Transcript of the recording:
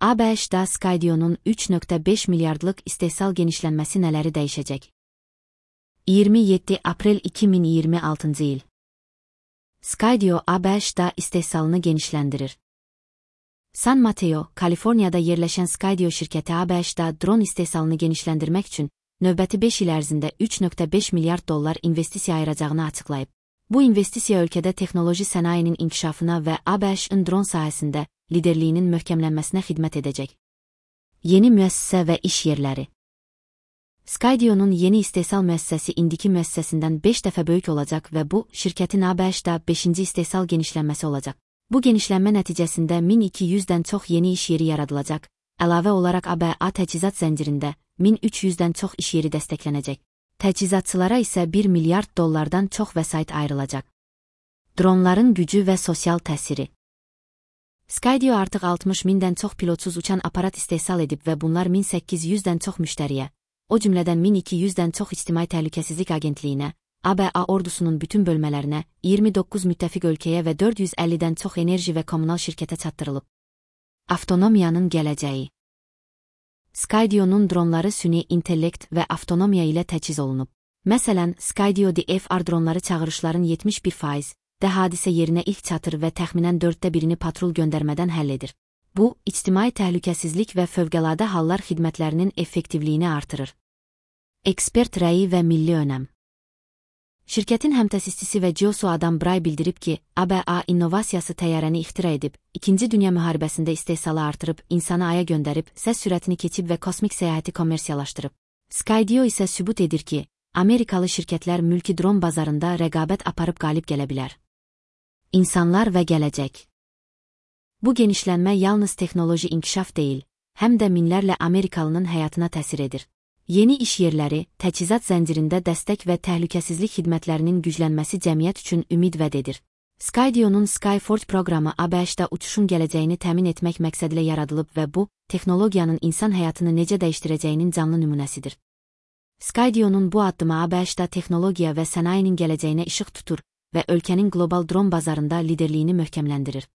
ABŞ-da Skydio'nun 3,5 milyardlık istehsal genişlənməsi nələri dəyişəcək? 27 Aprel 2026 il. Skydio ABŞ-da istehsalını genişləndirir. San Mateo, Kaliforniyada yerləşən Skydio şirkəti ABŞ-da dron istehsalını genişləndirmək üçün növbəti 5 il ərzində 3,5 milyard dollar investisiya ayıracağını açıqlayıb. Bu investisiya ölkədə texnoloji sənayinin inkişafına və ABŞ-ın dron sahəsində liderliyinin möhkəmlənməsinə xidmət edəcək. Yeni müəssisə və iş yerləri. Skydio'nun yeni istehsal müəssisəsi indiki müəssisəsindən 5 dəfə böyük olacaq və bu, şirkətin ABŞ-da 5-ci istehsal genişlənməsi olacaq. Bu genişlənmə nəticəsində 1200-dən çox yeni iş yeri yaradılacaq, əlavə olaraq ABA təchizat zəncirində 1300-dən çox iş yeri dəstəklənəcək. Təchizatçılara isə 1 milyard dollardan çox vəsait ayrılacaq. Dronların gücü və sosial təsiri. Skydio artıq 60 mindən çox pilotsuz uçan aparat istehsal edib və bunlar 1800-dən çox müştəriyə, o cümlədən 1200-dən çox ictimai təhlükəsizlik agentliyinə, ABA ordusunun bütün bölmələrinə, 29 müttəfiq ölkəyə və 450-dən çox enerji və kommunal şirkətə çatdırılıb. Avtonomiyanın gələcəyi. Skydio'nun dronları süni intellekt və avtonomiya ilə təchiz olunub. Məsələn, Skydio DFR dronları çağırışların 71% də hadisə yerinə ilk çatır və təxminən 1/4 patrul göndərmədən həll edir. Bu, ictimai təhlükəsizlik və fövqəladə hallar xidmətlərinin effektivliyini artırır. Ekspert rəyi və milli önəm. Şirkətin həmtəsisçisi və CEO'su Adam Bray bildirib ki, ABA innovasiyası təyyarəni ixtira edib, 2-ci Dünya müharibəsində istehsalı artırıb, insanı aya göndərib, səs sürətini keçib və kosmik səyahəti kommersiyalaşdırıb. Skydio isə sübut edir ki, Amerikalı şirkətlər mülki dron bazarında rəqabət aparıb qalib gələ bilər. İnsanlar və gələcək. Bu genişlənmə yalnız texnoloji inkişaf deyil, həm də minlərlə Amerikalının həyatına təsir edir. Yeni iş yerləri, təchizat zəncirində dəstək və təhlükəsizlik xidmətlərinin güclənməsi cəmiyyət üçün ümid vəd edir. Skydio'nun Skyforge proqramı ABŞ-da uçuşun gələcəyini təmin etmək məqsədilə yaradılıb və bu, texnologiyanın insan həyatını necə dəyişdirəcəyinin canlı nümunəsidir. Skydio'nun bu addımı ABŞ-da texnologiya və sənayinin gələcəyinə işıq tutur və ölkənin qlobal dron bazarında liderliyini möhkəmləndirir.